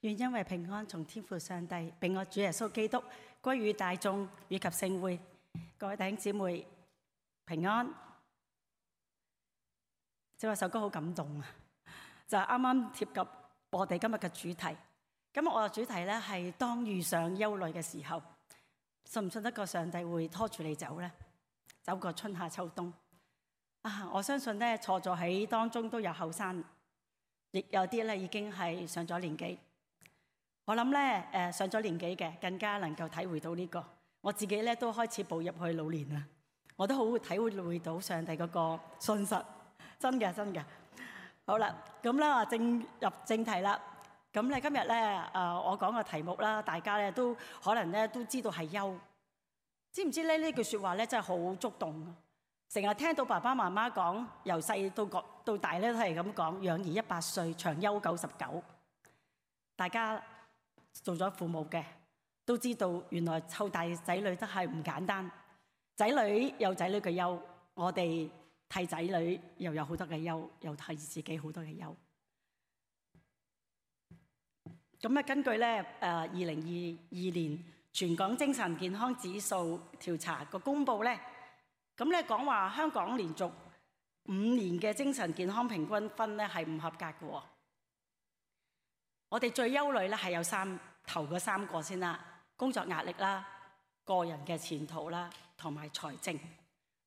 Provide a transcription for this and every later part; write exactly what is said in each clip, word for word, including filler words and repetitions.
願因為平安從天父上帝並我主耶穌基督歸於大眾以及聖會。各位弟兄姊妹平安。這首歌好感動啊！就係啱啱貼及我哋今日嘅主題。今日我嘅主題咧係當遇上憂慮嘅時候，信唔信得過上帝會拖住你走呢？走過春夏秋冬啊！我相信咧坐咗喺當中都有後生，亦有啲咧已經係上咗年紀。我諗咧，誒上咗年紀嘅更加能夠體會到呢個。我自己咧都開始步入去老年啦，我都好體會到上帝嗰個信實，真嘅真嘅。好啦，咁咧啊正入正題啦。咁咧今日咧誒我講個題目啦，大家咧都可能咧都知道係憂。知唔知咧呢句説話咧真係好觸動？成日聽到爸爸媽媽講，由細到個到大咧都係咁講，養兒一百歲，長憂九十九。大家做咗父母嘅都知道，原來湊大仔女都係唔簡單。仔女有仔女嘅憂，我哋替仔女又有好多嘅憂，又替自己好多嘅憂。咁咧，根據咧誒二零二二年全港精神健康指數調查個公佈咧，咁咧講話香港連續五年嘅精神健康平均分咧係唔合格嘅。我哋最憂慮咧係有三頭嗰三個先啦，工作壓力啦、個人嘅前途啦，同埋財政。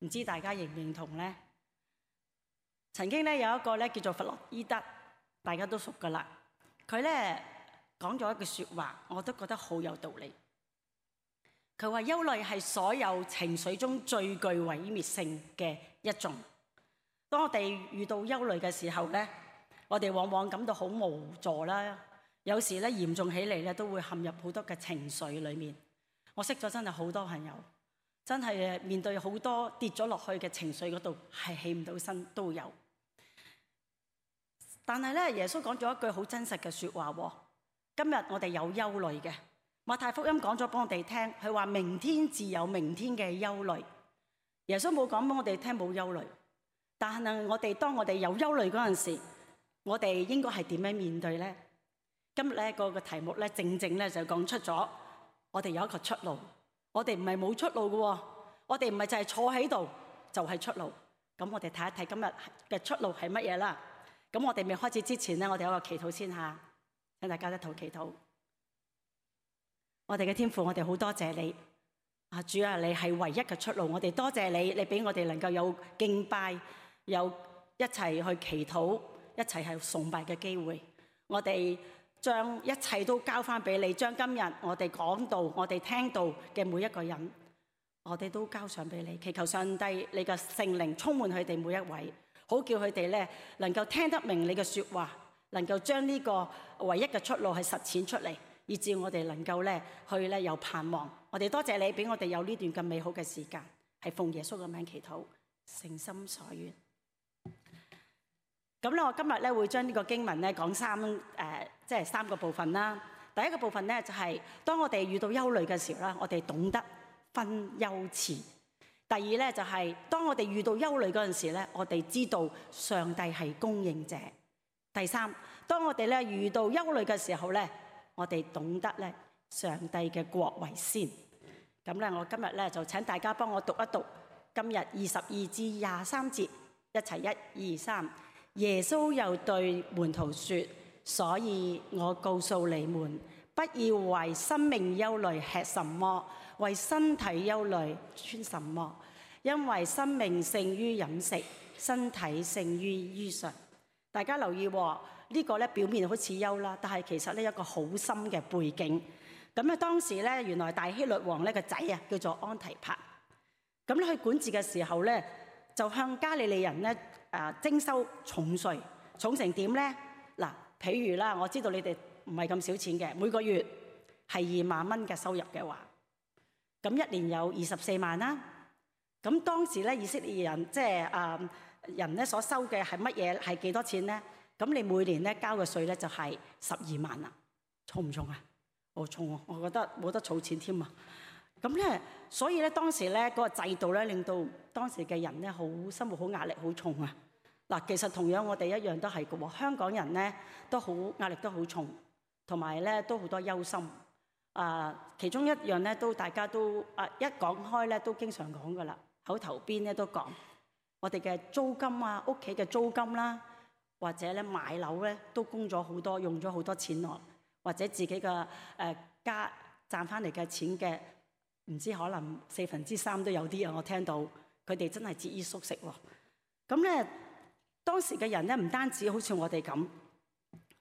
唔知大家認唔認同咧？曾經咧有一個咧叫做弗洛伊德，大家都熟噶啦。佢咧講咗一句説話，我都覺得好有道理。佢話憂慮係所有情緒中最具毀滅性嘅一種。當我哋遇到憂慮嘅時候咧，我哋往往感到好無助啦。有時咧嚴重起嚟咧，都會陷入好多嘅情緒裏面。我識咗真係好多朋友，真係面對好多跌咗落去嘅情緒嗰度，係起唔到身都有。但係咧，耶穌講咗一句好真實嘅説話喎。今日我哋有憂慮嘅，馬太福音講咗俾我哋聽，佢話明天自有明天嘅憂慮。耶穌冇講俾我哋聽冇憂慮，但係我哋當我哋有憂慮嗰陣時，我哋應該係點樣面對呢？今日咧個個題目咧，正正咧就講出咗我哋有一個出路。我哋唔係冇出路嘅，我哋唔係就係坐喺度就係出路。咁我哋睇一睇今日嘅出路係乜嘢啦。咁我哋未開始之前咧，我哋有個祈禱先下，請大家一同祈禱。我哋嘅天父，我哋好多謝你啊！主啊，你係唯一嘅出路。我哋多謝你，你俾我哋能夠有敬拜，有一齊去祈禱，一齊係崇拜嘅機會。我哋將一切都交翻俾你，將今日我哋講道、我哋聽到嘅每一個人，我哋都交上俾你，祈求上帝你嘅聖靈充滿佢哋每一位，好叫佢哋咧能夠聽得明你嘅説話，能夠將呢個唯一嘅出路係實踐出嚟，以致我哋能夠咧去咧有盼望。我哋多謝你俾我哋有呢段咁美好嘅時間，係奉耶穌嘅名祈禱，誠心所願。咁咧，我今日咧會將呢個經文咧講三誒、呃，即係三個部分啦。第一個部分咧就係、是、當我哋遇到憂慮嘅時候咧，我哋懂得分憂慈。第二咧就係、是、當我哋遇到憂慮嗰陣時咧，我哋知道上帝係供應者。第三，當我哋咧遇到憂慮嘅時候咧，我哋懂得咧上帝嘅國為先。咁咧，我今日咧就請大家幫我讀一讀今日二十二至廿三節，一齊一二三。耶穌又對門徒說：所以我告訴你們，不要為生命憂慮吃什麼，為身體憂慮穿什麼，因為生命勝於飲食，身體勝於衣裳。大家留意喎，呢、這個咧表面好似憂啦，但係其實咧有一個好深嘅背景。咁咧當時咧原來大希律王咧個仔啊叫做安提帕，咁咧佢管治嘅時候咧就向加利利人咧誒徵收重稅，重成點咧？嗱，譬如啦，我知道你哋唔係咁少錢嘅，每個月係二萬蚊嘅收入嘅話，咁一年有二十四萬啦。咁當時咧以色列人即係誒人咧所收嘅係乜嘢？係幾多錢咧？咁你每年咧交嘅稅咧就係十二萬啦，重唔重啊？好重啊！我覺得冇得儲錢添啊！咁咧，所以咧當時咧嗰個制度咧令到當時嘅人咧好生活好壓力好重啊！嗱，其實同樣我哋一樣都係嘅喎，香港人咧都好壓力都好重。同埋咧都好多憂心。啊，其中一樣咧都大家都啊一講開咧都經常講噶啦，口頭邊咧都講我哋嘅租金啊，屋企嘅租金啦，或者咧買樓咧都供咗好多，用咗好多錢落，或者自己嘅誒、呃、家賺翻嚟嘅錢嘅，唔知可能四分之三都有啲啊！我聽到佢哋真係節衣縮食喎。咁咧當時嘅人咧唔單止好似我哋咁，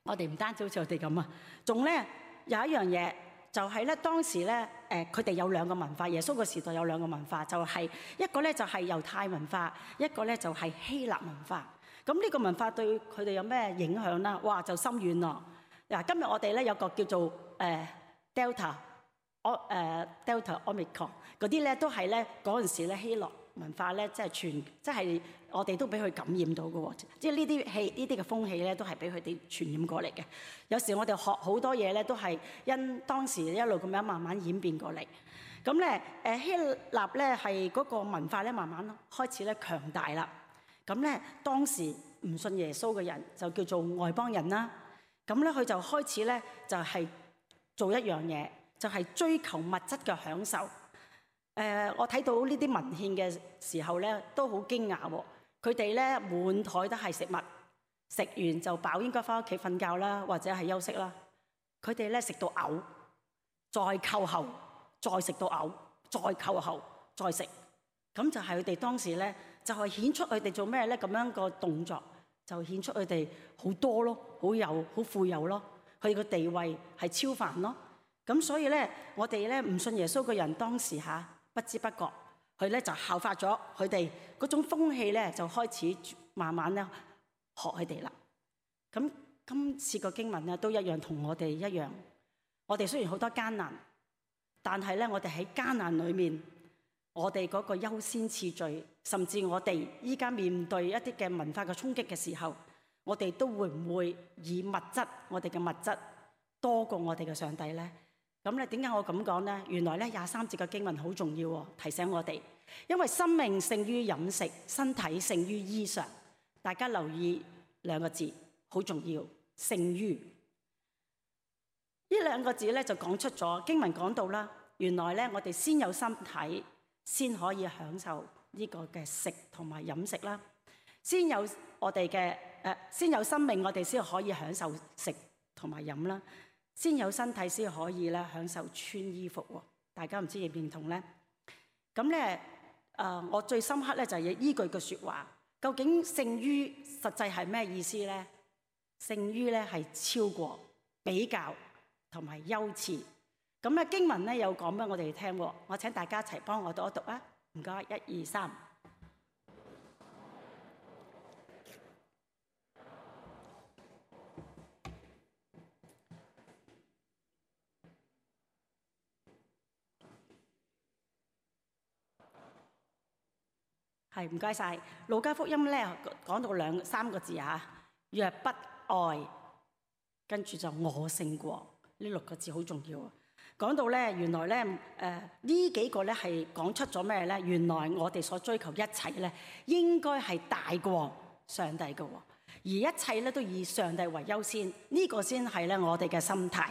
我哋唔單止好似我哋咁啊，仲咧有一樣嘢。就係咧，當時咧，誒佢哋有兩個文化。耶穌個時代有兩個文化，就係、是、一個咧就係猶太文化，一個咧就係希臘文化。咁呢個文化對佢哋有咩影響啦？哇，就深遠咯。嗱，今日我哋咧有個叫做誒、呃、Delta，我誒、呃、Delta Omicron 嗰啲咧都係咧嗰陣時咧希臘文化咧，即係傳，即係我哋都俾佢感染到嘅喎。即係呢啲氣、呢啲嘅風氣咧，都係俾佢哋傳染過嚟嘅。有時我哋學好多嘢咧，都係因當時一路咁樣慢慢演變過嚟。咁咧，誒希臘咧係嗰個文化咧，慢慢開始咧強大啦。咁咧，當時唔信耶穌嘅人就叫做外邦人啦。咁咧，佢就開始咧就係做一樣嘢，就係追求物質嘅享受。誒、呃，我睇到呢啲文獻嘅時候咧，都好驚訝喎。佢哋咧滿枱都係食物，食完就飽，應該返屋企瞓覺啦，或者係休息啦。佢哋咧食到嘔，再扣喉，再食到嘔，再扣喉，再食。咁就係佢哋當時咧，就係顯出佢哋做咩咧？咁樣個動作就顯出佢哋好多咯，好有好富有咯。佢哋個地位係超凡咯。咁所以咧，我哋咧唔信耶穌嘅人當時嚇。不知不覺，佢咧就效法咗佢哋嗰種風氣咧，就開始慢慢咧學佢哋啦。咁今次個經文咧都一樣，同我哋一樣。我哋雖然好多艱難，但係咧我哋喺艱難裏面，我哋嗰個優先次序，甚至我哋依家面對一啲嘅文化嘅衝擊嘅時候，我哋都會唔會以物質，我哋嘅物質多過我哋嘅上帝咧？咁咧點解我咁講咧？原來咧廿三節嘅經文好重要喎，提醒我哋，因為生命勝於飲食，身體勝於衣裳。大家留意兩個字，好重要，勝於呢兩個字咧就講出咗經文講到啦。原來咧我哋先有身體，先可以享受呢個嘅食同埋飲食啦。先有我哋嘅誒，先有生命，我哋先可以享受食同埋飲啦。先有身體先可以咧享受穿衣服喎，大家唔知認唔認同咧？咁咧誒，我最深刻咧就係依句嘅説話，究竟勝於實際係咩意思咧？勝於咧係超過、比較同埋優次。咁咧經文咧有講俾我哋聽喎，我請大家一齊幫我讀一讀啊！唔該，一二三。係，唔該晒。路加福音咧講到兩三個字嚇，若不愛，跟住就我勝過，呢六個字好重要啊。講到咧，原來咧誒呢、呃、幾個咧係講出咗咩咧？原來我哋所追求一切咧，應該係大過上帝嘅喎，而一切咧都以上帝為優先，呢、這個先係咧我哋嘅心態。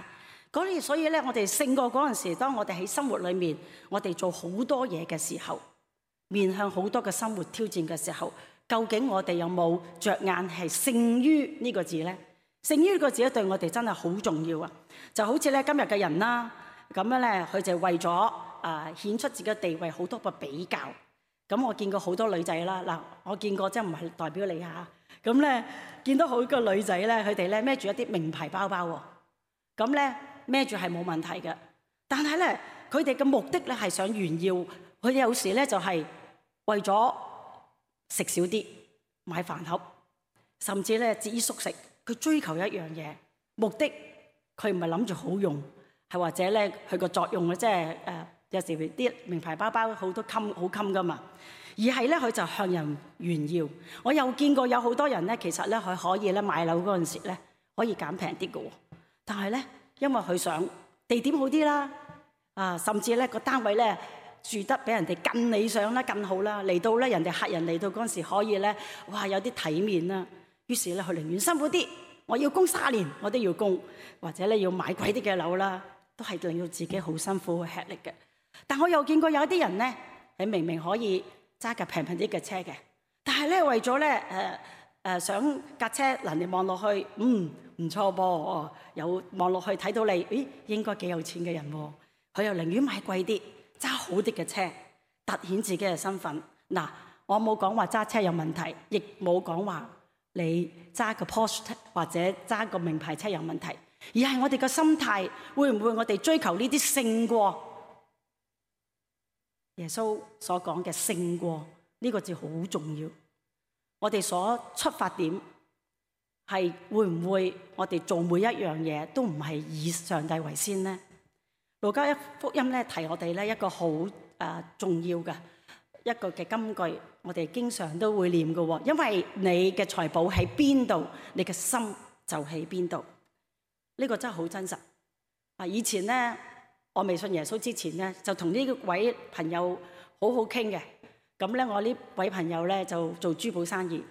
嗰所以咧，我哋勝過嗰陣時，當我哋喺生活裏面，我哋做好多嘢嘅時候，面向好多嘅生活挑戰嘅時候，究竟我哋有冇着眼係勝於呢個字咧？勝於呢個字咧，對我哋真係好重要啊！就好似咧今日嘅人啦，咁樣咧，佢就為咗啊顯出自己嘅地位，好多個比較。咁我見過好多女仔啦，嗱，我見過即係唔係代表你嚇。咁咧見到好多女仔咧，佢哋咧孭住一啲名牌包包喎。咁咧孭住係冇問題嘅，但係咧佢哋嘅目的咧係想炫耀。佢哋有時咧就係為咗食少啲買飯盒，甚至咧節衣縮食。佢追求一樣嘢，目的佢唔係諗住好用，係或者咧佢個作用咧即係誒有時啲名牌包包好多襟好襟噶嘛，而係咧佢就向人炫耀。我又見過有好多人咧，其實咧佢可以咧買樓嗰陣時咧可以減平啲嘅喎，但係咧因為佢想地點好啲啦，啊甚至咧個單位咧住得比人哋更理想啦、更好啦，嚟到咧人哋客人嚟到嗰陣時可以咧哇有啲體面啦，於是咧佢寧願辛苦啲我要供三年，我都要供，或者咧要買貴啲嘅樓啦，都係令到自己好辛苦、好吃力嘅。但我又見過有啲人咧，你明明可以揸架平平啲嘅車嘅，但係咧為咗咧誒誒想架車嗱，你望落去，嗯唔錯噃，有望落去睇到你，咦應該幾有錢嘅人喎，佢又寧願買貴啲，揸好啲嘅車，凸顯自己嘅身份。嗱，我冇講話揸車有問題，亦冇講話你揸個 Porsche 或者揸個名牌車有問題，而係我哋嘅心態，會唔會我哋追求呢啲勝過耶穌所講嘅勝過呢個字好重要。我哋所出發點係會唔會我哋做每一樣嘢都唔係以上帝為先呢？路加福音咧提我哋咧一個好誒重要嘅一個嘅金句，我哋經常都會念嘅，因為你嘅財寶喺邊度，你嘅心就喺邊度。呢個真係好真實。啊，以前咧我未信耶穌之前咧，就同呢位朋友好好傾嘅。咁咧我呢位朋友咧就做珠寶生意。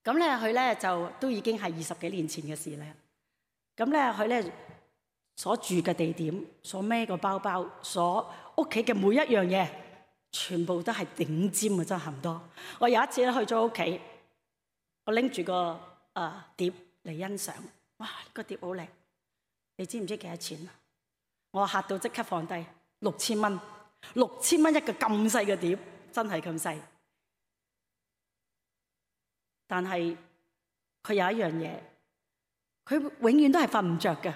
咁咧佢咧就都已經係二十幾年前嘅事咧。咁咧佢咧所住嘅地點，所孭個包包，所屋企嘅每一樣嘢，全部都係頂尖嘅，真係唔多。我有一次咧去咗屋企，我拎住個誒、呃、碟嚟欣賞，哇！呢、這個碟好靚，你知唔知幾多錢啊？我嚇到即刻放低，六千蚊，六千蚊一個咁細嘅碟，真係咁細。但係佢有一樣嘢，佢永遠都係瞓唔着嘅。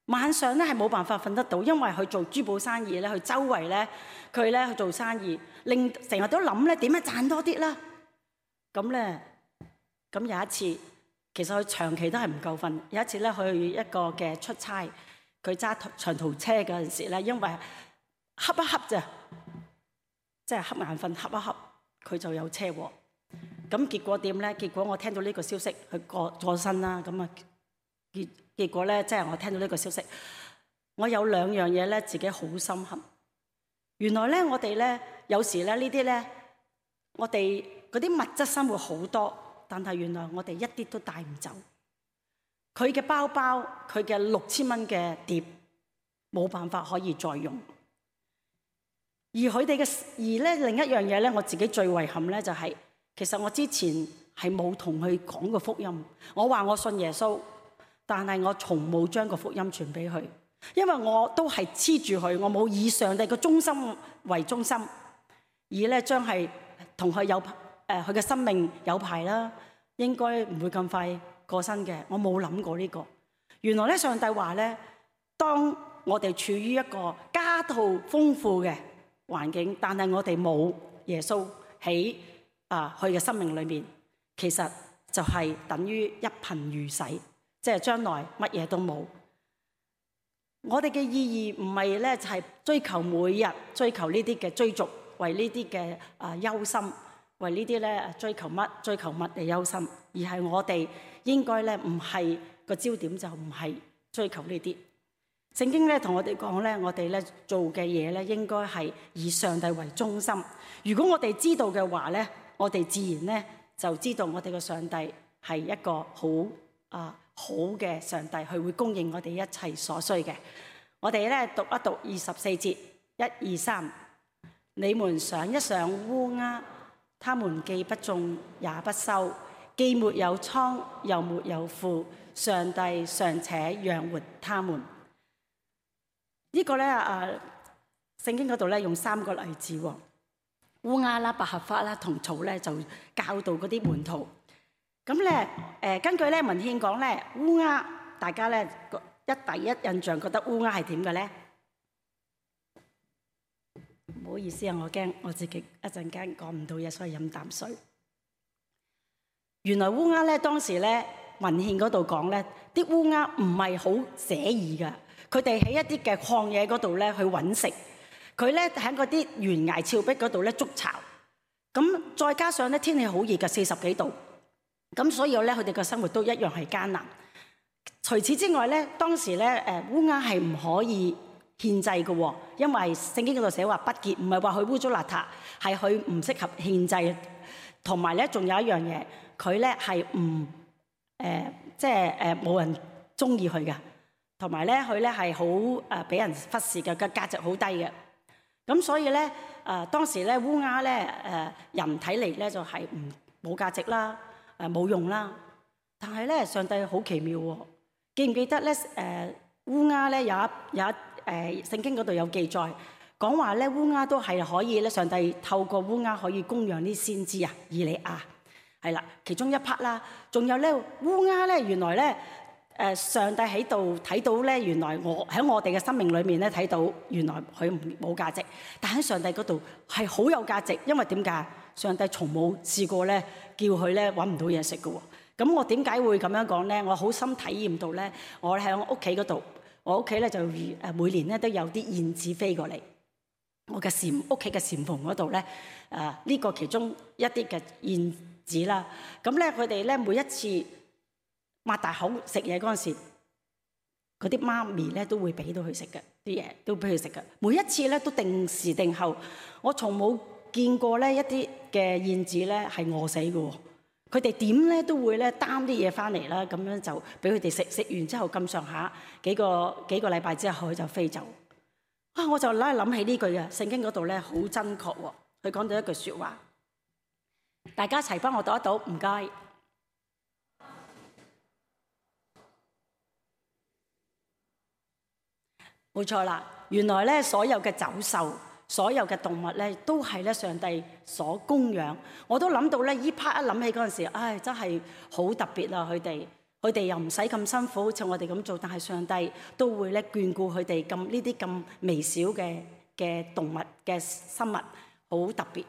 晚上咧係冇辦法瞓得到，因為佢做珠寶生意咧，佢周圍咧佢咧去做生意，令成日都諗咧點樣賺多啲啦。咁咧咁有一次，其實佢長期都係唔夠瞓。有一次咧去一個嘅出差，佢揸長途車嗰陣時咧，因為瞌一瞌咋，即係瞌眼瞓瞌一瞌，佢就有車禍。咁結果點咧？結果我聽到呢個消息，佢過過身啦。咁啊結結果咧，即係我聽到呢個消息，我有兩樣嘢咧，自己好深刻。原來咧，我哋咧有時咧呢啲咧，我哋嗰啲物質生活好多，但係原來我哋一啲都帶唔走。佢嘅包包，佢嘅六千蚊嘅碟，冇辦法可以再用。而佢哋嘅而咧另一樣嘢咧，我自己最遺憾咧就係，其實我之前係冇同佢講過福音。我話我信耶穌，但係我從冇將個福音傳俾佢，因為我都係黐住佢，我冇以上帝嘅中心為中心，而咧將係同佢有誒佢嘅生命有排啦，應該唔會咁快過身嘅。我冇諗過呢個。原來咧上帝話咧，當我哋處於一個家徒豐富嘅環境，但係我哋冇耶穌喺啊佢嘅生命裏面，其實就係等於一貧如洗。即係將來乜嘢都冇。我哋嘅意義唔係咧，就係追求每日追求呢啲嘅追逐，為呢啲嘅啊憂心，為呢啲咧追求乜追求乜嘅憂心，而係我哋應該咧唔係個焦點，就唔係追求呢啲。聖經咧同我哋講咧，我哋咧做嘅嘢咧應該係以上帝為中心。如果我哋知道嘅話咧，我哋自然咧就知道我哋嘅上帝係一個好啊。好嘅上帝，佢會供應我哋一切所需嘅。我哋咧讀一讀二十四節，一二三。你們想一想烏鴉，他們既不種也不收，既沒有倉又沒有庫，上帝尚且養活他們。這個、呢個咧啊，聖經嗰度咧用三個例子喎，烏鴉啦、百合花啦同草咧就教導嗰啲門徒。咁咧，誒根據咧文獻講咧，烏鴉大家咧一第一印象覺得烏鴉係點嘅咧？唔好意思啊，我驚我自己一陣間講唔到嘢，所以飲啖水。原來烏鴉咧當時咧文獻嗰度講咧，啲烏鴉唔係好寫意㗎，佢哋喺一啲嘅曠野嗰度咧去揾食，佢咧喺嗰啲懸崖峭壁嗰度咧築巢。咁再加上咧天氣好熱嘅，四十幾度。咁所以咧，佢哋嘅生活都一樣係艱難。除此之外咧，當時咧，誒烏鴉係唔可以獻祭嘅，因為聖經嗰度寫話不潔，唔係話佢污糟邋遢，係佢唔適合獻祭。同埋咧，仲有一樣嘢，佢咧係唔誒即係誒冇人中意佢嘅，同埋咧佢咧係好誒俾人忽視嘅，個價值好低嘅。咁所以咧誒、呃、當時咧烏鴉咧誒人睇嚟咧就係唔冇價值啦，誒冇用啦。但係咧上帝好奇妙喎，記唔記得咧誒、呃、烏鴉咧有一有一誒、呃、聖經嗰度有記載講話咧烏鴉都係可以咧，上帝透過烏鴉可以供養啲先知啊，以利亞係啦，其中一 part 啦。仲有咧烏鴉咧原來咧誒上帝喺度睇到咧，原來我喺我哋嘅生命裏面咧睇到原來佢唔冇價值，但喺上帝嗰度係好有價值，因為點解？上帝從冇試過咧叫佢咧揾唔到嘢食嘅喎。咁我點解會咁樣講咧？我好深體驗到咧，我喺屋企嗰度，我屋企咧就誒每年咧都有啲燕子飛過嚟，我嘅禪屋企嘅禪房嗰度咧，誒、呃、呢、呢個其中一啲嘅燕子啦。咁咧佢哋咧每一次擘大口食嘢嗰陣時，嗰啲媽咪咧都會俾到佢食嘅啲嘢，都俾佢食嘅。每一次咧都定時定候，我從冇見過咧一啲嘅燕子咧係餓死嘅喎。佢哋點咧都會咧擔啲嘢翻嚟啦，咁樣就俾佢哋食，食完之後咁上下幾個幾個禮拜之後佢就飛走。啊！我就拉諗起呢句啊，聖經嗰度咧好真確喎。佢講到一句説話，大家一齊幫我讀一讀，唔該。冇錯啦，原來咧所有嘅走獸，所有嘅動物咧，都係咧上帝所供養。我都諗到咧，依 part 一諗起嗰陣時，唉，真係好特別啊！佢哋佢哋又唔使咁辛苦，好似我哋咁做，但係上帝都會咧眷顧佢哋咁呢啲咁微小嘅嘅動物嘅生物，好特別。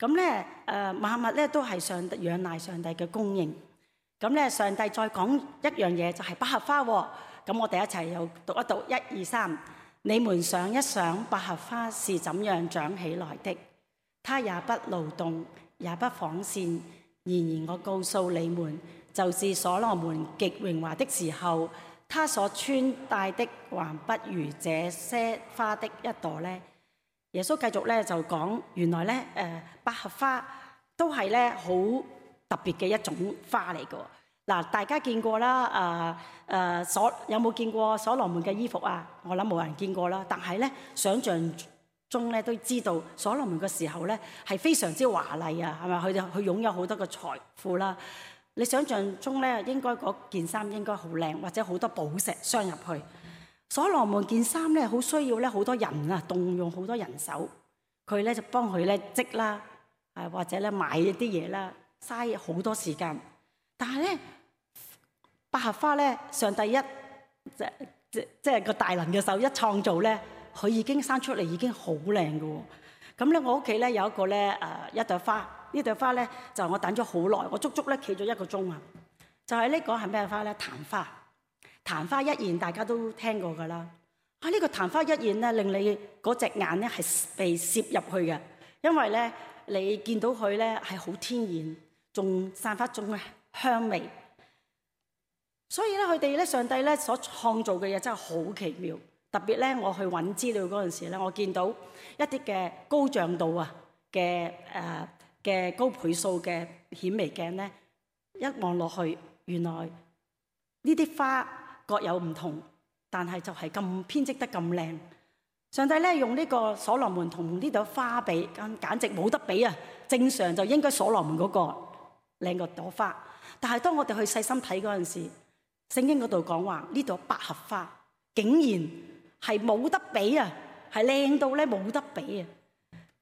咁咧誒，萬物咧都係上帝仰賴上帝嘅供應。咁咧，上帝再講一樣嘢，就係百合花喎。咁我哋一齊又讀一讀，一二三。你們想一想，百合花是怎樣長起來的？它也不勞動，也不紡線。然而我告訴你們，就是所羅門極榮華的時候，他所穿戴的還不如這些花的一朵呢。耶穌繼續咧就講，原來咧誒、呃、百合花都係咧好特別嘅一種花嚟嘅。嗱，大家見過啦，誒誒所有冇見過所羅門嘅衣服啊？我諗冇人見過啦。但係咧，想像中咧都知道所羅門嘅時候咧係非常之華麗啊，係咪？佢就佢擁有好多嘅財富啦。你想像中咧，應該嗰件衫應該好靚，或者好多寶石鑲入去。所羅門件衫咧好需要咧好多人啊，動用好多人手，佢咧就幫佢咧織啦，誒或者咧買一啲嘢啦，嘥好多時間。但係咧，百合花咧，上帝一即即即係個大能嘅手一創造咧，佢已經生出嚟已經好靚嘅喎。咁咧，我屋企咧有一個咧誒一朵花，呢朵花咧就我等咗好耐，我足足咧企咗一個鐘啊。就係呢個係咩花咧？曇花。曇花一現大家都聽過㗎啦。啊，呢個曇花一現咧，令你嗰隻眼咧係被攝入去嘅，因為咧你見到佢咧係好天然，仲散發種香味。所以咧，佢哋咧，上帝咧所創造嘅嘢真係好奇妙。特別咧，我去揾資料嗰陣時咧，我見到一啲嘅高像度啊嘅誒嘅高倍數嘅顯微鏡咧，一望落去，原來呢啲花各有唔同，但係就係咁編織得咁靚。上帝咧用呢個所羅門同呢朵花比，簡簡直冇得比啊！正常就應該所羅門嗰個靚過朵花，但係當我哋去細心睇嗰陣時，聖經嗰度講話呢朵百合花竟然係冇得比啊，係靚到咧冇得比啊！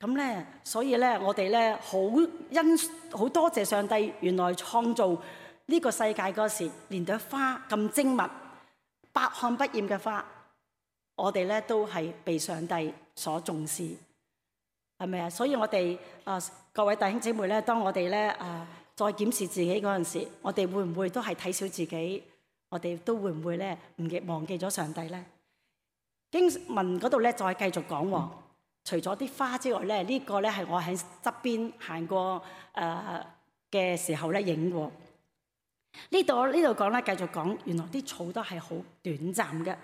咁咧，所以咧我哋咧好欣好多謝上帝，原來創造呢個世界嗰時，連朵花咁精密、百看不厭嘅花，我哋咧都係被上帝所重視，係咪啊？所以我哋啊、呃、各位弟兄姊妹咧，當我哋咧啊再檢視自己嗰陣時，我哋會唔會都係睇小自己？我哋都會唔會咧唔記忘記咗上帝咧？經文嗰度咧再繼續講喎，除咗啲花之外咧，呢個咧係我喺側邊行過誒嘅時候咧影過。呢度呢度講咧繼續講，原來啲草都係好短暫嘅，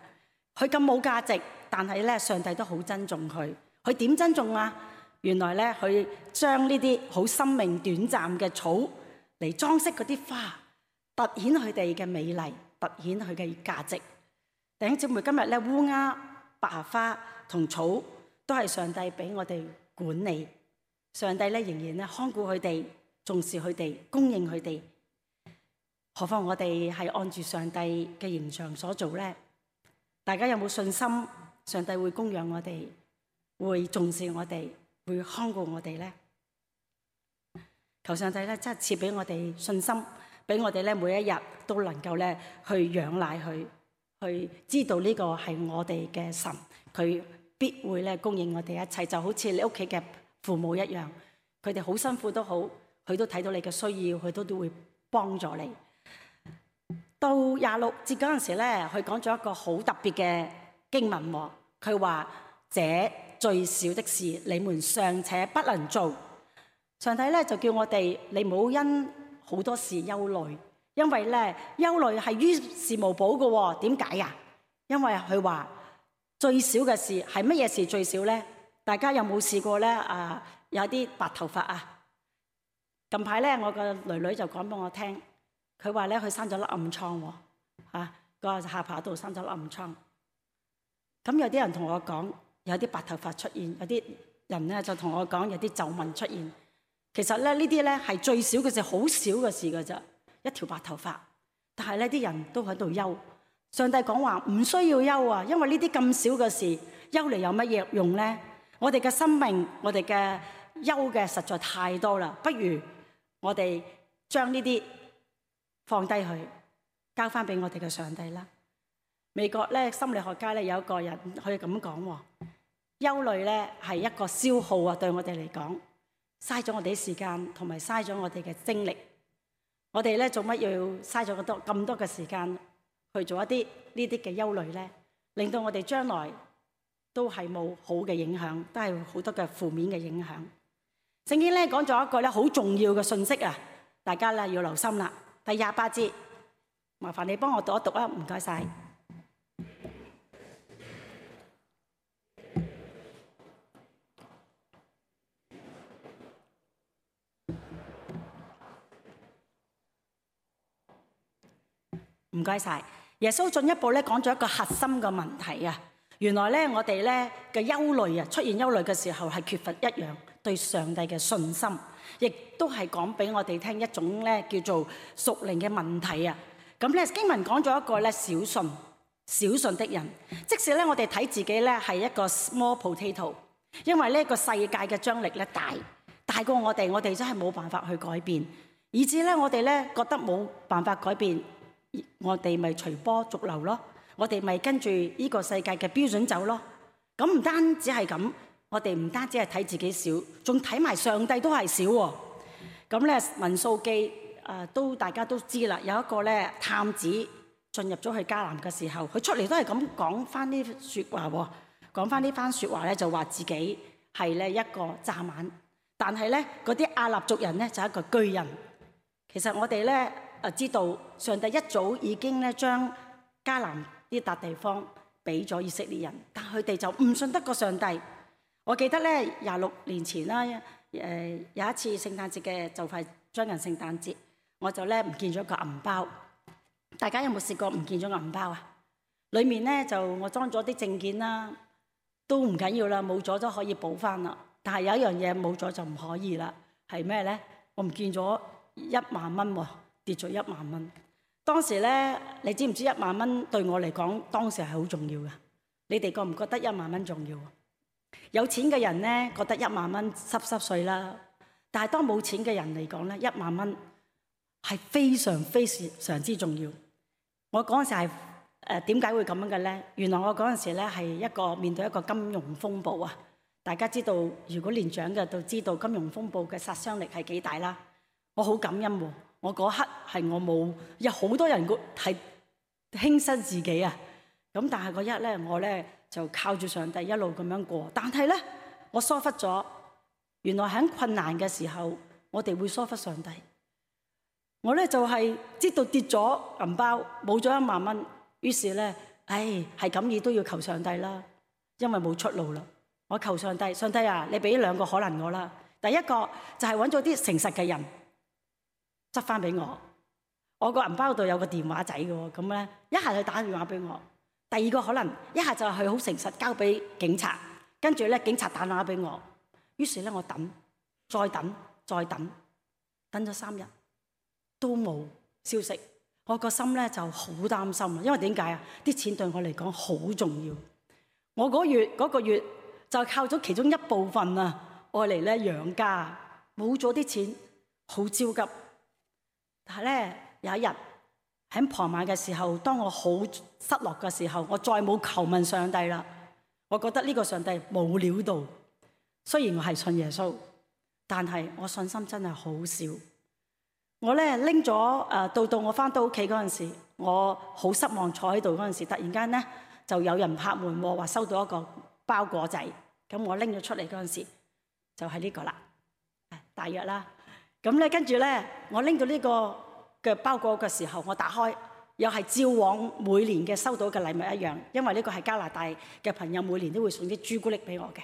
佢咁冇價值，但係咧上帝都好珍重佢。佢點珍重啊？原來咧佢將呢啲好生命短暫嘅草嚟裝飾嗰啲花。凸顯佢哋嘅美麗，凸顯佢嘅價值。弟兄姊妹，今日咧烏鴉、百合花同草都係上帝俾我哋管理，上帝咧仍然咧看顧佢哋，重視佢哋，供應佢哋。何況我哋係按住上帝嘅形象所做咧？大家有冇信心？上帝會供養我哋，會重視我哋，會看顧我哋咧？求上帝咧，真係賜俾我哋信心，俾我哋咧每一日都能夠咧去仰賴佢，去知道呢個係我哋嘅神，佢必會咧供應我哋一切，就好似你屋企嘅父母一樣，佢哋好辛苦都好，佢都睇到你嘅需要，佢都都會幫助你。到廿六節嗰陣時咧，佢講咗一個好特別嘅經文喎，佢話：這最小的事，你們尚且不能做。上帝咧就叫我哋，你唔好因好多事憂慮，因為咧憂慮係於事無補嘅喎。點解啊？因為佢話最少嘅事係乜嘢事最少咧？大家有冇試過咧？啊，有啲白頭髮啊！近排咧，我個女女就講俾我聽，佢話咧佢生咗粒暗瘡喎，嚇個下巴度生咗粒暗瘡。咁有啲人同我講，有啲白頭髮出現，有啲人咧就同我講有啲皺紋出現。其實咧呢啲咧係最少嘅事，好少嘅事㗎咋，一條白頭髮。但係呢啲人都喺度憂。上帝講話唔需要憂啊，因為呢啲咁少嘅事，憂嚟有乜嘢用咧？我哋嘅生命，我哋嘅憂嘅實在太多啦，不如我哋將呢啲放低佢，交翻俾我哋嘅上帝啦。美國咧心理學家咧有一個人佢咁講喎，憂慮咧係一個消耗啊，對我哋嚟講。嘥咗我哋啲時間，同埋嘥咗我哋嘅精力。我哋咧做乜要嘥咗咁多咁多嘅時間去做一啲呢啲嘅憂慮咧？令到我哋將來都係冇好嘅影響，都係好多嘅負面嘅影響。聖經咧講咗一個咧好重要嘅信息啊，大家咧要留心啦。第廿八節，麻煩你幫我讀一讀啊，唔該晒。唔該晒。耶穌進一步咧講咗一個核心嘅問題啊。原來咧我哋咧嘅憂慮啊，出現憂慮嘅時候係缺乏一樣對上帝嘅信心，亦都係講俾我哋聽一種咧叫做屬靈嘅問題啊。咁咧經文講咗一個咧小信小信的人，即使咧我哋睇自己咧係一個 small potato， 因為呢個世界嘅張力咧大大過我哋，我哋真係冇辦法去改變，以至咧我哋咧覺得冇辦法改變。我哋咪隨波逐流咯，我哋咪跟住呢個世界嘅標準走咯。咁唔單止係咁，我哋唔單止係睇自己少，仲睇埋上帝都係少喎。咁咧民數記誒都大家都知啦，有一個咧探子進入咗去迦南嘅時候，佢出嚟都係咁講翻呢説話喎，講翻呢番説話咧就話自己係咧一個蚱蜢，但係咧嗰啲亞納族人咧就係一個巨人。其實我哋咧。啊！知道上帝一早已經咧將迦南呢笪地方俾咗以色列人，但佢哋就唔信得過上帝。我記得咧廿六年前啦，誒有一次聖誕節嘅就快將近聖誕節，我就咧唔見咗個銀包。大家有冇試過唔見咗銀包啊？裡面咧就我裝咗啲證件啦，都唔緊要啦，冇咗都可以補翻啦。但係有一樣嘢冇咗就唔可以啦，係咩咧？我唔見咗一萬蚊喎。跌咗一萬蚊，當時咧，你知唔知一萬蚊對我嚟講，當時係好重要嘅。你哋覺唔覺得一萬蚊重要啊？有錢嘅人咧，覺得一萬蚊濕濕碎啦。但係當冇錢嘅人嚟講咧，一萬蚊係非常非常之重要。我嗰陣時係誒點解會咁樣嘅咧？原來我嗰陣時咧係一個面對一個金融風暴啊！大家知道，如果年長嘅都知道金融風暴嘅殺傷力係幾大啦。我好感恩喎。我嗰刻係我冇，有好多人係輕生自己啊！咁但係嗰日咧，我咧就靠住上帝一路咁樣過。但係咧，我疏忽咗，原來喺困難嘅時候，我哋會疏忽上帝。我咧就係知道跌咗銀包，冇咗一萬蚊，於是咧，唉，係咁意都要求上帝啦，因為冇出路啦。我求上帝，上帝啊，你俾兩個可能我啦。第一個就係揾咗啲誠實嘅人。執翻俾我，我個銀包度有個電話仔嘅喎，咁咧一下就打電話俾我，第二個可能一下就係佢好誠實交俾警察，跟住咧警察打電話俾我，於是咧我等，再等，再等，等咗三日都冇消息，我個心咧就好擔心啦，因為點解啊？啲錢對我嚟講好重要，我嗰月嗰個月就靠咗其中一部分啊，愛嚟咧養家，冇咗啲錢，好焦急。但係咧有一日喺傍晚嘅時候，當我好失落嘅時候，我再冇求問上帝啦。我覺得呢個上帝冇料到，雖然我係信耶穌，但係我信心真係好少。我咧拎咗誒，到到我翻到屋企嗰陣時，我好失望坐喺度嗰陣時，突然間咧就有人拍門喎，話收到一個包裹仔。咁我拎咗出嚟嗰陣時，就係呢個啦，大約啦。咁咧跟住咧，我拎到呢個嘅包裹嘅時候，我打開，又係照往每年嘅收到嘅禮物一樣，因為呢個係加拿大嘅朋友每年都會送啲朱古力俾我嘅。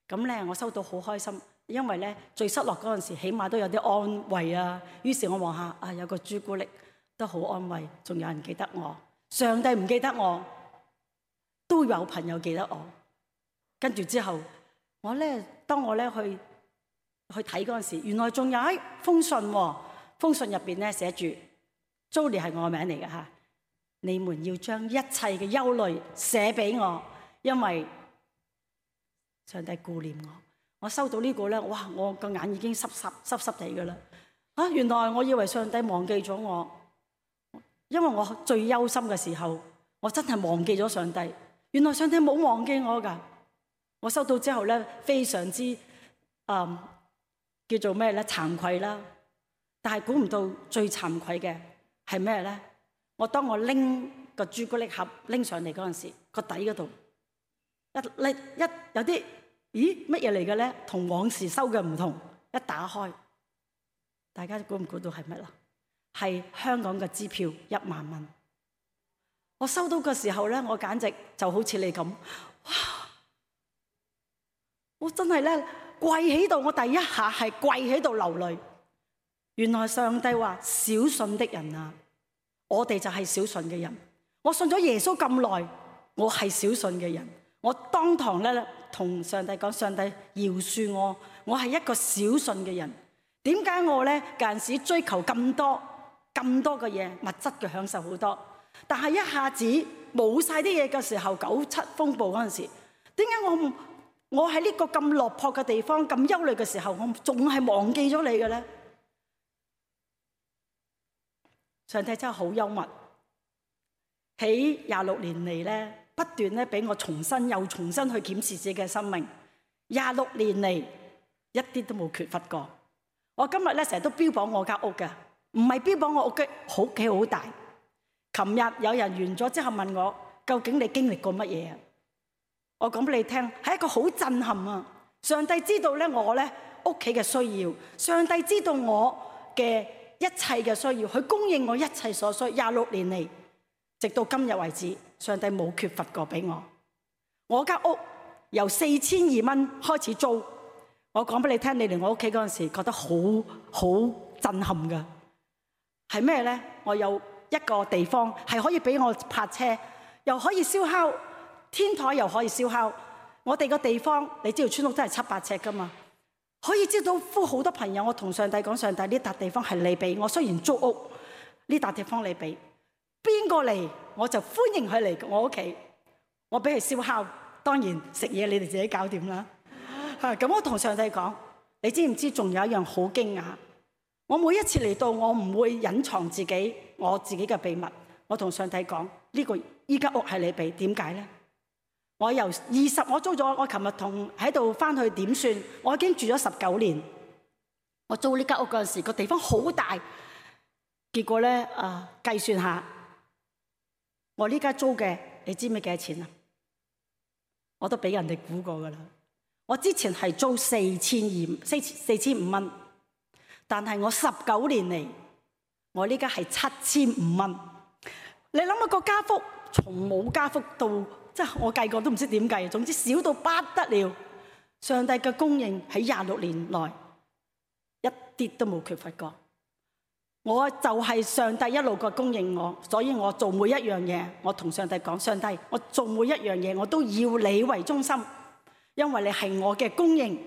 咁咧我收到好開心。因為咧最失落嗰陣時，起碼都有啲安慰啊。於是我望下啊，有個朱古力都好安慰，仲有人記得我。上帝唔記得我，都有朋友記得我。跟住之後，我咧當我咧去去睇嗰陣時，原來仲有一封信喎。封信入邊咧寫住 Jolie 係我名嚟嘅嚇，你們要將一切嘅憂慮寫俾我，因為上帝顧念我。我收到呢個咧，哇！我個眼已經濕濕濕濕地㗎啦。啊，原來我以為上帝忘記咗我，因為我最憂心嘅時候，我真係忘記咗上帝。原來上帝冇忘記我㗎。我收到之後咧，非常之誒、嗯、叫做咩咧，慚愧啦。但係估唔到最慚愧嘅係咩咧？我當我拎個朱古力盒拎上嚟嗰陣時，個底嗰度一拎一有啲。咦，乜嘢嚟嘅咧？同往時收嘅唔同。一打開，大家估唔估到係乜啦？係香港嘅支票一萬蚊。我收到嘅時候咧，我簡直就好似你咁，哇！我真係咧跪喺度，我第一下係跪喺度流淚。原來上帝話：小信的人啊，我哋就係小信嘅人。我信咗耶穌咁耐，我係小信嘅人。我當堂咧同上帝講：上帝饒恕我，我係一個小信嘅人。點解我咧間時追求咁多咁多嘅嘢，物質嘅享受好多，但係一下子冇晒啲嘢嘅時候，九七風暴嗰陣時，點解我我喺呢個咁落魄嘅地方，咁憂慮嘅時候，我仲係忘記咗你嘅咧？上帝真係好幽默，喺廿六年嚟咧。不斷咧俾我重新又重新去檢視自己嘅生命，廿六年嚟一啲都冇缺乏過。我今日咧成日都標榜我間屋嘅，唔係標榜我屋嘅好企好大。琴日有人完咗之後問我，究竟你經歷過乜嘢啊？我講俾你聽，係一個好震撼啊！上帝知道咧我咧屋企嘅需要，上帝知道我嘅一切嘅需要，佢供應我一切所需。廿六年嚟，直到今日為止，上帝冇缺乏過俾我。我間屋由四千二蚊開始租，我講俾你聽，你嚟我屋企嗰陣時覺得好好震撼噶。係咩咧？我有一個地方係可以俾我泊車，又可以燒烤，天台又可以燒烤。我哋個地方，你知道村屋都係七八尺噶嘛，可以招到呼好多朋友。我同上帝講：上帝，呢笪地方係你俾我，雖然租屋，呢笪地方你俾。邊個嚟我就歡迎佢嚟我屋企，我俾佢燒烤，當然食嘢你哋自己搞掂啦。咁我同上帝講：你知唔知仲有一樣好驚訝？我每一次嚟到，我唔會隱藏自己我自己嘅秘密。我同上帝講：呢個依間屋係你俾，點解咧？我由二十我租咗，我琴日同喺度翻去點算？我已經住咗十九年。我租呢間屋嗰陣時，個地方好大，結果咧啊，計算下。我呢家租嘅，你知唔知幾多錢啊？我都俾人哋估過噶啦。我之前係租四千二四四千五蚊，但係我十九年嚟，我呢家係七千五蚊。你諗下個加幅，從冇加幅到，即係我計過都唔知點計。總之少到不得了。上帝嘅供應喺廿六年內一啲都冇缺乏過。我就係上帝一路個供應我，所以我做每一樣嘢，我同上帝講，上帝，我做每一樣嘢我都要你為中心，因為你係我嘅供應。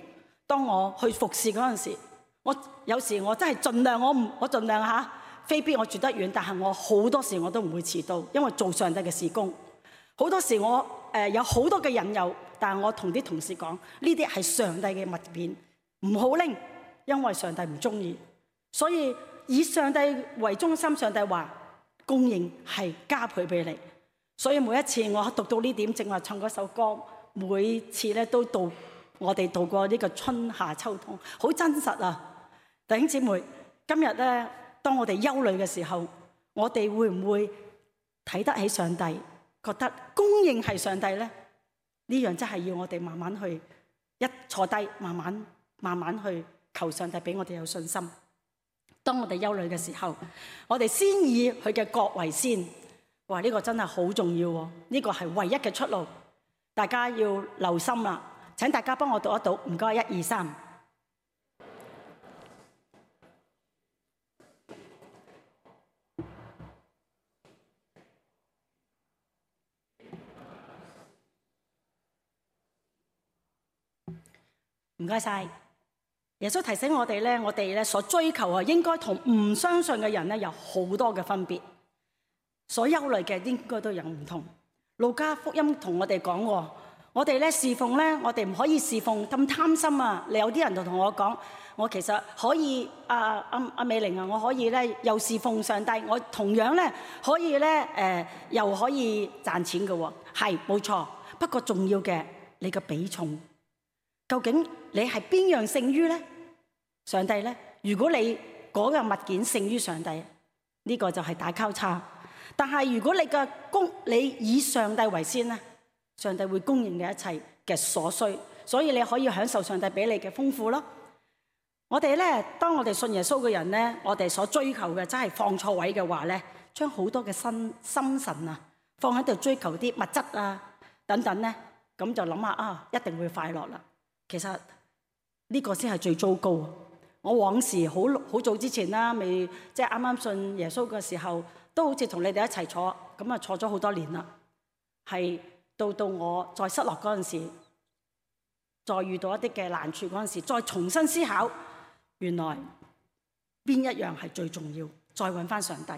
當我去服侍嗰陣時，我有時我真係盡量，我唔我盡量嚇，非必我住得遠，但係我好多時我都唔會遲到，因為做上帝嘅事工。好多時我誒、呃、有好多嘅引誘，但係我同啲同事講，呢啲係上帝嘅物件，唔好拎，因為上帝唔中意。所以以上帝為中心，上帝話供應係加倍俾你。所以每一次我讀到呢點，正話唱嗰首歌，每次咧都到我哋度過呢個春夏秋冬，好真實啊！弟兄姊妹，今日咧，當我哋憂慮嘅時候，我哋會唔會睇得起上帝，覺得供應係上帝咧？呢樣真係要我哋慢慢去一坐低，慢慢慢慢去求上帝俾我哋有信心。當我哋憂慮嘅時候，我哋先以佢嘅國為先。哇！呢個真係好重要喎，呢個係唯一嘅出路。大家要留心啦。請大家幫我讀一讀，唔該，一二三。唔該晒。耶穌提醒我哋咧，我哋咧所追求啊，應該同唔相信嘅人咧有好多嘅分別。所憂慮嘅應該都有唔同。路加福音同我哋講喎。我哋咧侍奉咧，我哋唔可以侍奉咁貪心啊！你有啲人就同我講，我其實可以啊，阿阿美玲啊，我可以咧又侍奉上帝，我同樣咧可以咧誒、呃，又可以賺錢嘅喎。係冇錯，不過重要嘅你嘅比重，究竟你係邊樣勝於咧？上帝咧？如果你嗰個物件勝於上帝，呢、這個就係大交叉。但係如果你嘅供，你以上帝為先咧？上帝會供應嘅一切嘅所需，所以你可以享受上帝俾你嘅豐富咯。我哋咧，當我哋信耶穌嘅人咧，我哋所追求嘅真係放錯位嘅話咧，將好多嘅心心神啊放喺度追求啲物質啊等等咧，咁就諗下啊，一定會快樂啦。其實呢個先係最糟糕。我往時好好早之前啦，未即係啱啱信耶穌嘅時候，都好似同你哋一齊坐，咁啊坐咗好多年啦，係。到到我再失落嗰陣時，再遇到一啲嘅難處嗰陣時，再重新思考，原來邊一樣係最重要，再揾翻上帝。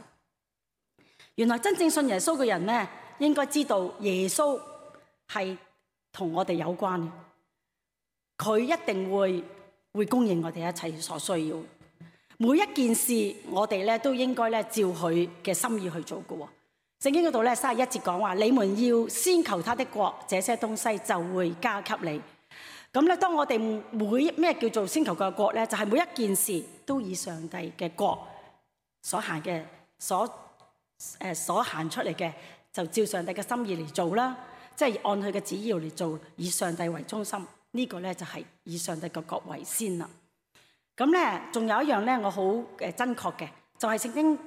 原來真正信耶穌嘅人咧，應該知道耶穌係同我哋有關嘅，佢一定會會供應我哋一切所需要。每一件事我哋咧都應該咧照佢嘅心意去做嘅。聖經嗰度咧三十一節講話，你們要先求他的國，這些東西就會加給你。咁咧，當我哋每咩叫做先求佢嘅國咧，就係、是、每一件事都以上帝嘅國所行嘅，所誒、呃、所行出嚟嘅，就照上帝嘅心意嚟做啦。即係按佢嘅旨意嚟做，以上帝為中心。這個、呢個咧就係、是、以上帝嘅國為先啦。咁咧，仲有一樣咧，我好誒真確嘅，就係、是、聖經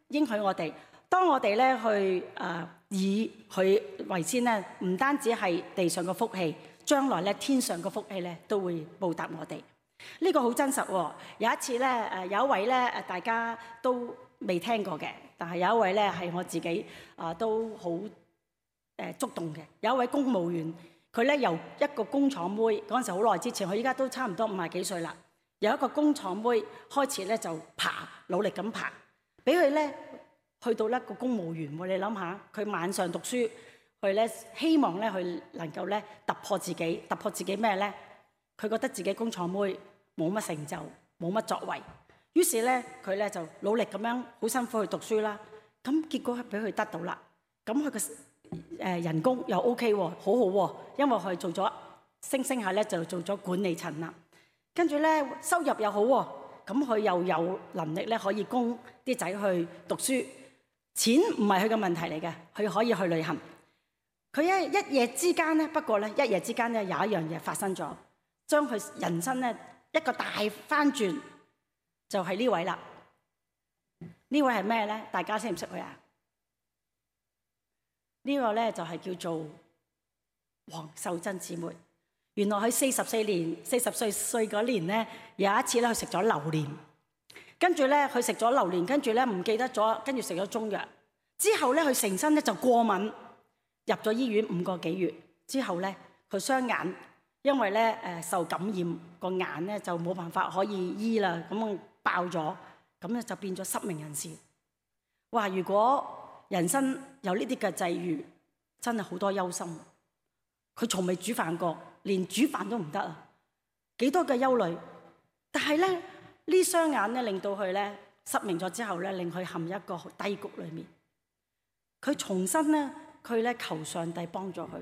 應許我哋。當我哋咧去誒以佢為先咧，唔單止係地上嘅福氣，將來咧天上嘅福氣咧都會報答我哋。呢個好真實喎。有一次咧誒有一位咧誒大家都未聽過嘅，但係有一位咧係我自己啊都好誒觸動嘅。有一位公務員，佢咧由一個工廠妹嗰陣時好耐之前，佢依家都差唔多五十幾歲啦。由一個工廠妹開始咧就爬，努力咁爬，俾佢咧。去到一個公務員，你諗下，佢晚上讀書，佢咧希望咧佢能夠咧突破自己，突破自己咩咧？佢覺得自己工廠妹冇乜成就，冇乜作為，於是咧佢咧就努力咁樣好辛苦去讀書啦。咁結果係俾佢得到啦。咁佢嘅誒人工又 OK 喎，好好喎，因為佢做咗升升下咧就做咗管理層啦。跟住咧收入又好喎，咁佢又有能力咧可以供啲仔去讀書。錢唔係佢嘅問題嚟嘅，佢可以去旅行。佢一一夜之間咧，不過咧一夜之間咧有一樣嘢發生咗，將佢人生咧一個大翻轉，就係呢位啦。呢位係咩咧？大家識唔識佢啊？呢個咧就係叫做黃秀珍姊妹。原來佢四十四年四十歲歲嗰年咧，有一次咧佢食咗榴蓮。跟住咧佢食咗榴蓮，跟住咧唔記得咗，跟住食咗中藥。之後咧佢成身咧就過敏，入咗醫院五個幾月。之後咧佢雙眼因為咧誒受感染，個眼咧就冇辦法可以醫啦，咁爆咗，咁咧就變咗失明人士。哇！如果人生有呢啲嘅際遇，真係好多憂心。佢從未煮飯過，連煮飯都唔得啊！幾多嘅憂慮。但係咧呢雙眼咧令到佢咧失明咗之後咧，令佢陷入一個低谷裏面。佢重新咧，佢咧求上帝幫助佢。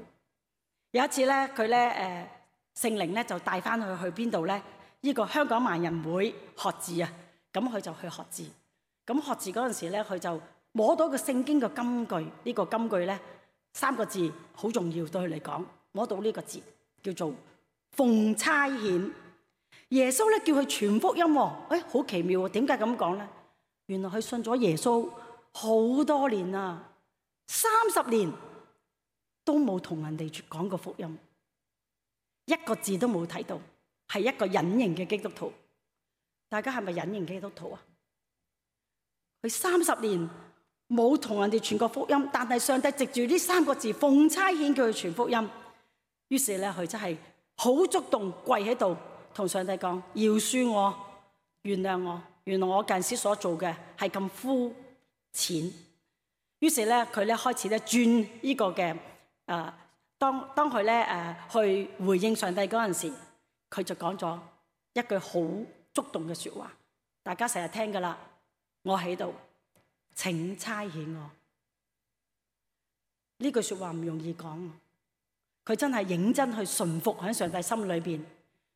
有一次咧，佢咧誒聖靈咧就帶翻佢去邊度咧？呢個香港盲人會學字啊！咁佢就去學字。咁學字嗰陣時咧，佢就摸到個聖經嘅金句。呢個金句咧三個字好重要對佢嚟講。摸到呢個字叫做奉差遣。耶穌咧叫佢傳福音喎。誒好奇妙喎！點解咁講咧？原來佢信咗耶穌好多年啦。三十年都冇同人哋講過福音，一個字都冇睇到，係一個隱形嘅基督徒。大家係咪隱形基督徒啊？佢三十年冇同人哋傳過福音，但係上帝藉住呢三個字奉差遣叫佢傳福音。於是咧，佢真係好觸動，跪喺度同上帝講：饒恕我，原諒我，原來我近時所做嘅係咁膚淺。於是咧，佢咧開始咧轉呢個嘅誒、呃，當當佢咧誒去回應上帝嗰陣時，佢就講咗一句好觸動嘅説話，大家成日聽㗎喇。我喺度，請差遣我。呢句説話唔容易講，佢真係認真去順服喺上帝心裏邊，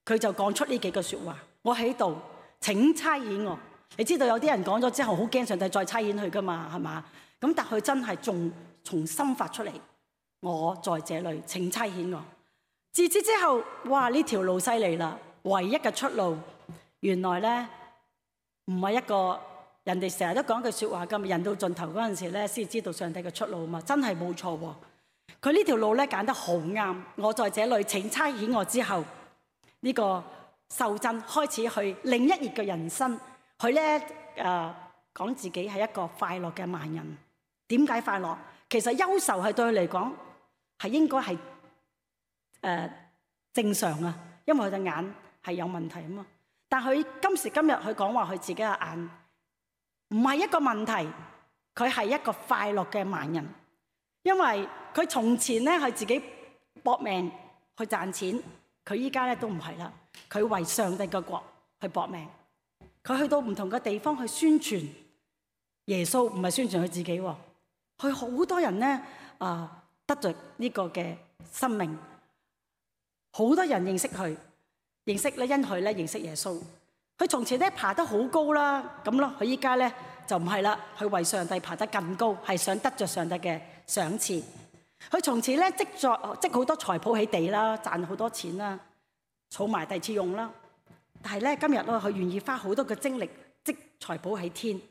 佢就講出呢幾句説話。我喺度，請差遣我。你知道有啲人講咗之後好驚上帝再差遣佢㗎嘛，係嘛？咁但佢真係仲從心發出嚟，我在這裏，請差遣我。自此之後，哇！呢條路犀利啦，唯一嘅出路，原來咧唔係一個人哋成日都講句説話咁，人到盡頭嗰陣時咧，先知道上帝嘅出路嘛，真係冇錯喎。佢呢條路咧揀得好啱，我在這裏，請差遣我之後，呢、這個秀珍開始去另一頁嘅人生，佢咧誒講自己係一個快樂嘅盲人。點解快樂？其實憂愁係對佢嚟講係應該係誒正常啊，因為佢隻眼係有問題啊嘛。但佢今時今日佢講話佢自己嘅眼唔係一個問題，佢係一個快樂嘅盲人，因為佢從前咧係自己搏命去賺錢，佢依家咧都唔係啦，佢為上帝嘅國去搏命，佢去到唔同嘅地方去宣傳耶穌，唔係宣傳佢自己喎。佢好多人咧啊，得着呢個嘅生命，好多人認識佢，認識咧因佢咧認識耶穌。佢從前咧爬得好高啦，咁咯，佢依家咧就唔係啦，佢為上帝爬得更高，係想得着上帝嘅賞賜。佢從前咧積咗積好多財寶喺地啦，賺好多錢啦，儲埋第二次用啦。但係咧今日咧，佢願意花好多嘅精力積財寶喺天。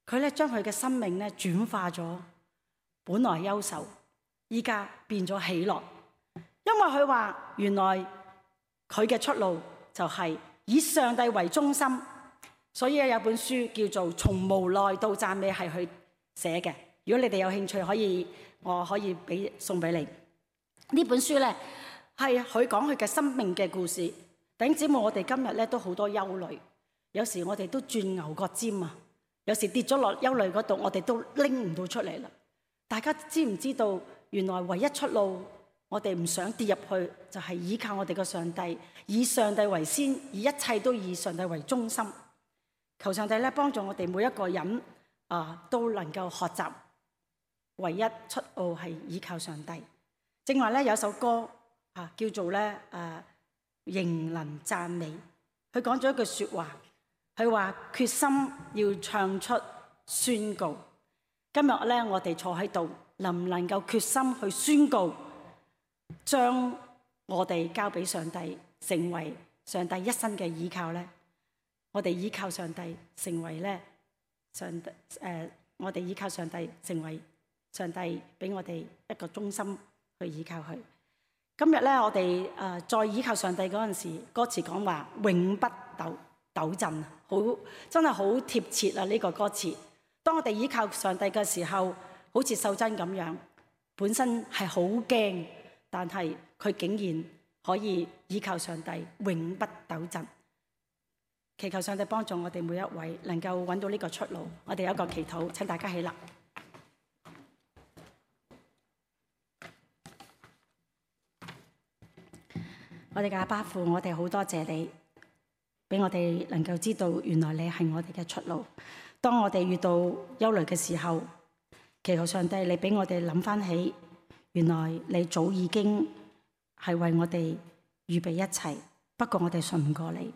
佢咧將佢嘅生命咧轉化咗，本來憂愁，依家變咗喜樂，因為佢話原來佢嘅出路就係以上帝為中心，所以有本書叫做《從無奈到讚美》係佢寫嘅。如果你哋有興趣，可以我可以俾送俾你。呢本書咧係佢講佢嘅生命嘅故事。弟兄姊妹，我哋今日咧都好多憂慮，有時我哋都轉牛角尖啊！有時跌咗落憂慮嗰度，我哋都拎唔到出嚟啦。大家知唔知道，原來唯一出路，我哋唔想跌入去，就係依靠我哋嘅上帝，以上帝為先，以一切都以上帝為中心。求上帝咧幫助我哋每一個人啊，都能夠學習，唯一出路係依靠上帝。正話咧有首歌啊，叫做咧誒仍能讚美，佢講咗一句説話。佢話決心要唱出宣告。今日咧，我哋坐喺度，能唔能夠決心去宣告，將我哋交俾上帝，成為上帝一生嘅依靠咧？我哋依靠上帝，成為咧上帝誒、呃，我哋依靠上帝，成為上帝俾我哋一個中心去依靠佢。今日咧，我哋誒再依靠上帝嗰陣時，歌詞講話永不抖抖震，好好真係好貼切啊！呢個歌詞，當我哋依靠上帝嘅時候，好似秀珍咁樣，本身係好驚，但係佢竟然可以依靠上帝，永不抖震。祈求上帝幫助我哋每一位能夠揾到呢個出路。我哋有一個祈禱，請大家起立。我哋嘅阿爸父，我哋好多謝你，俾我哋能夠知道原來你係我哋嘅出路。當我哋遇到憂慮嘅時候，祈求上帝你俾我哋諗翻起，原來你早已經係為我哋預備一切，不過我哋信唔過你。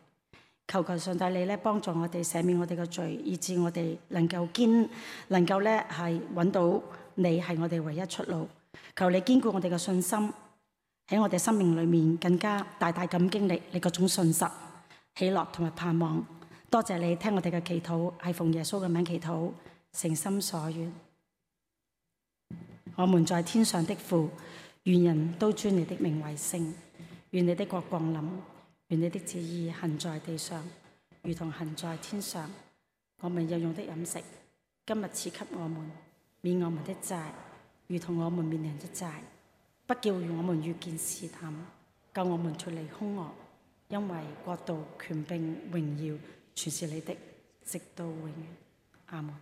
求求上帝你咧幫助我哋赦免我哋嘅罪，以致我哋能夠堅能夠咧係揾到你係我哋唯一出路。求你堅固我哋嘅信心，喺我哋生命裏面更加大大咁經歷你嗰種信實、喜樂同埋盼望。多謝你聽我哋嘅祈禱，係奉耶穌嘅名祈禱，誠心所願。我們在天上的父，願人都尊你的名為聖，願你的國降臨，願你的旨意行在地上，如同行在天上。我們日用的飲食，今日賜給我們，免我們的債，如同我們免人的債。不叫我們遇見試探，救我們脫離兇惡，因為國度、權柄、榮耀，全是你的，直到永遠。阿門。